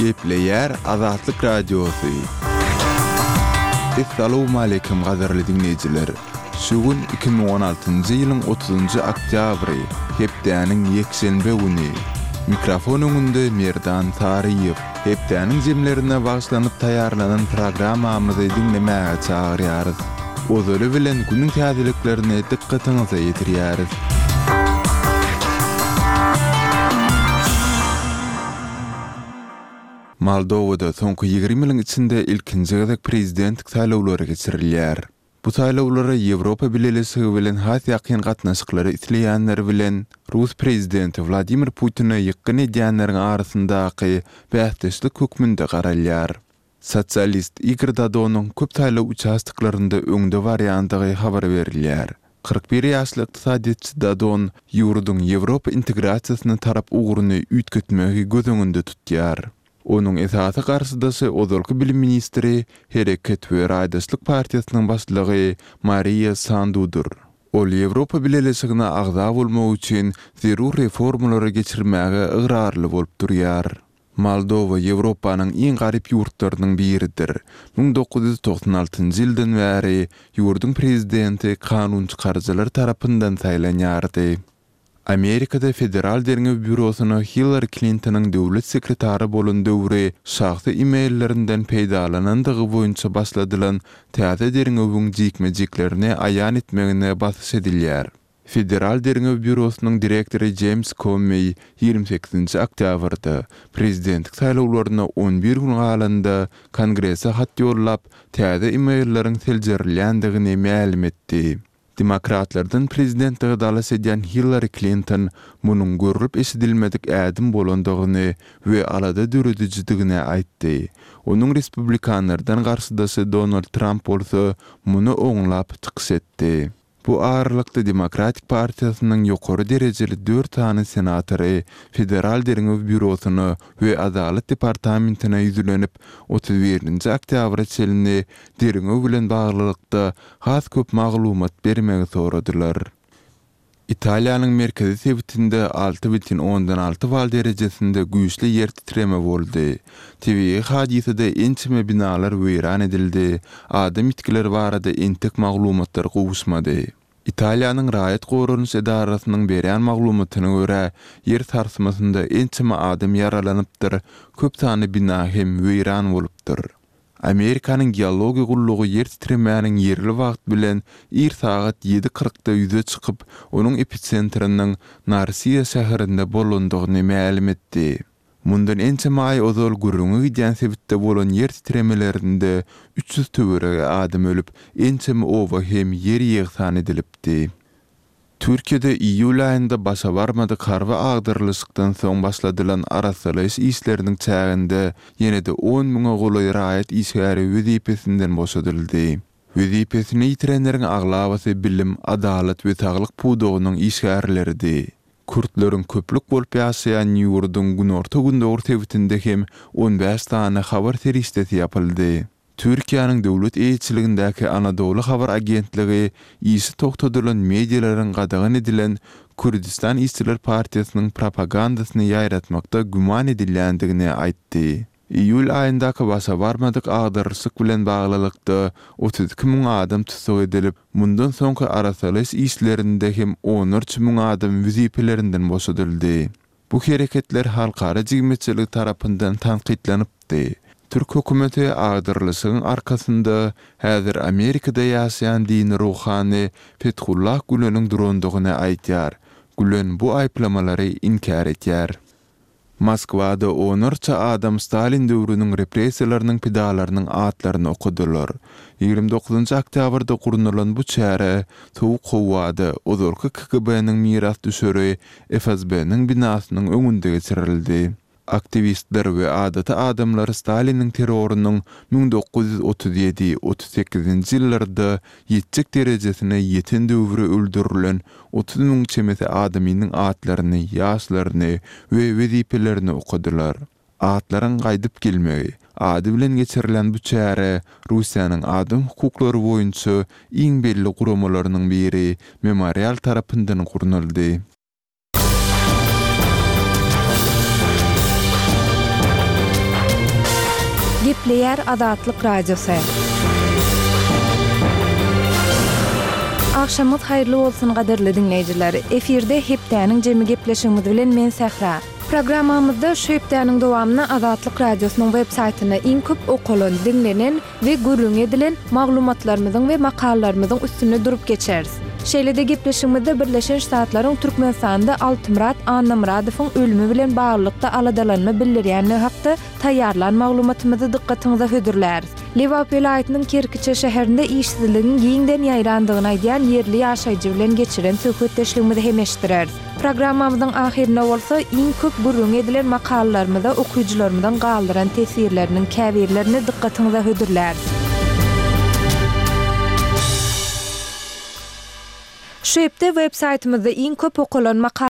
Gepleýär Azatlyk Radiosy. Essalawmaleýkim gadyrly diňleýjiler! Şu gün 2016-njy ýylyň otuzynjy oktýabry, hepdäniň ýekşenbe güni. Mikrofon öňünde Merdan Saryýew. Hepdäniň jemlerine bagyşlanyp taýýarlanan programmamyzy diňlemäge çagyrýarys. Ozaly bilen günüň täzeliklerini dykgatyňyza ýetirýäris. Moldowada soňky 20 ýylyň içinde ilkinji gezek prezidentlik saýlawlary geçirilýär. Bu saýlawlara Ýewropa Bileleşigi bilen has ýakyn gatnaşyklary isleýänler bilen rus prezidenti Wladimir Putine ýykgyn edýänleriň arasyndaky bäsdeşlik hökmünde garalýar. Sosialist Igor Dodonyň köp saýlaw uçastoklarynda öňde barýandygy habar berilýär. 41 ýaşly ykdysadyýetçi Dodon ýurduň Ýewropa integrasiýasyna tarap ugruny üýtgetmegi göz öňünde tutýar. Onuň esasy garşydaşy ozalky bilim ministri, Hereket we raýdaşlyk partiýasynyň başlygy Mariýa Sandudyr. Ol Ýewropa Bileleşigine agza bolmak üçin zerur reformalary geçirmäge ygrarly bolup durýar. Moldowa Ýewropanyň iň garyp ýurtlarynyň biridir. 1996 ýyldan bäri ýurduň prezidenti kanunçykaryjylar tarapyndan saýlanýardy. Amerikada Federal derňew býurosyna Hillari Klintonyň döwlet sekretary bolan döwri şahsy e-maillerinden peýdalanandygy boýunça başladylan täze derňewiň jikme-jiklerini aýan etmegine basyş edilýär. Federal derňew býurosynyň direktory Jeýms Kommeý 28-nji oktýabrda, prezidentlik saýlawlaryna 11 gün galanda, Kongrese hat ýollap, täze e-mailleriň seljerilýändigini mälim etdi. Demokratlardan prezidentlige dalaş edýän Hillari Klinton munuň görlüp-eşidilmedik ädim bolandygyny we alada döredijidigini aýtdy. Onuň respublikanlardan garşydaşy Donald Tramp bolsa muny oňlap çykyş etdi. Bu aralykda Demokratik partiýasynyň ýokary derejeli dört sany senatory Federal derňew býurosyna we Adalat departamentine ýüzlenip, 31-nji oktýabra çenli derňew bilen baglylykda has köp maglumat bermegi soradylar. Italiýanyň merkezi sebitinde 6,6 bal derejesinde güýçli ýer titreme boldy. Tebigy hadysada ençeme binalar weýran edildi, adam ýitgileri barada entek maglumatlar gowuşmady. Italiýanyň raýat goranyş edarasynyň berýän maglumatyna görä, ýer sarsmasynda ençeme adam ýaralanypdyr, köp sanly bina hem weýran bolupdyr. Amerikanyň geologiýa gullugy ýer titremäniň ýerli wagt bilen ir sagat ýedi kyrkda ýüze çykyp, onuň episentriniň Narsiýa şäherinde bolandygyny mälim etdi. Mundan ençeme aý ozal gürrüňi gidýän sebitde bolan ýer titremelerinde 300 töweregi adam ölüp, ençeme oba hem ýer ýegsan edilipdi. Türkiýede iýul aýynda başa barmadyk harby agdarylyşykdan soň başladylan arassalaýyş işleriniň çäginde ýene-de on müňe golaý raýat işgäri wezipesinden boşadyldy. Wezipesini ýitirenleriň aglabasy bilim, adalat we saglyk pudagynyň işgärleridi. Kürtleriň köplük bolup ýaşaýan ýurduň günorta-gündogar sebitinde hem on bäş sany habar serişdesi ýapyldy. Türkiýäniň döwlet eýeçiligindäki Anadoly habar agentligi işi togtadylan medialaryň gadagan edilen Kürdistan işçiler partiýasynyň propagandasyny ýaýratmakda güman edilýändigini aýtdy. Iýul aýyndaky başa barmadyk agdarylyşyk bilen baglylykda 32 müň adam tussag edilip, mundan soňky arassalaýyş işlerinde hem onlarça müň adam wezipelerinden boşadyldy. Bu hereketler halkara jemgyýetçiligi tarapyndan tankytlanypdy. Türk hökümeti agdarylyşygyň arkasynda häzir Amerikada ýaşaýan dini ruhany Fethullah Güleniň durandygyny aýdýar. Gülen bu aýyplamalary inkär edýär. Moskwada onlarça adam Stalin döwrüniň repressiýalarynyň pidalarynyň atlaryny okadylar. 29 oktýabrda gurnalan bu çäre sowuk howada ozalky KGB-niň mirasdüşeri FSB-niň binasynyň öňünde geçirildi. Aktiwistler we adaty adamlar Staliniň terrorynyň 1937, 38-nji ýyllarda ýetjek derejesine ýeten döwri öldürilen 30 müň çemesi adamynyň atlaryny, ýaşlaryny we wezipelerini okadylar. Atlaryň gaýdyp gelmegi ady bilen geçirilen bu çäre Russiýanyň adam hukuklary boýunça iň belli guramalarynyň biri Memorial tarapyndan gurnaldy. Gepleýär Azatlyk Radiosy. Agşamyňyz haýyrly bolsun gadyrly diňleýjiler. Efirde Hepdäniň jemi gepleşigimiz bilen men Sähra. Programmamyzda şu hepdäniň dowamynda Azatlyk Radiosynyň web saýtynda iň köp okalan, diňlenen we gürrüňi edilen maglumatlarymyzyň we makalalarymyzyň üstünde durup geçeris. Şeýle-de gepleşigimizde Birleşen Ştatlaryň Türkmenistanda Altymyrat Annamyradowyň ölümi bilen baglylykda aladalanma bildirýändigi hakda taýýarlan maglumatymyzy dykgatyňyza hödürläris. Lebap welaýatynyň Kerkiçe şäherinde işsizligiň giňden ýaýrandygyny aýdýan ýerli ýaşaýjy bilen geçiren söhbetdeşligimizi hem eşitdireris. Programmamyzyň ahyrynda bolsa, iň köp gürrüňi edilen makalalarymyza okyjylarymyzyň galdyran teswirleriniň käbirlerini dykgatyňyza hödürläris. Şu hepde web saýtymyzda iň köp okalan makalalar.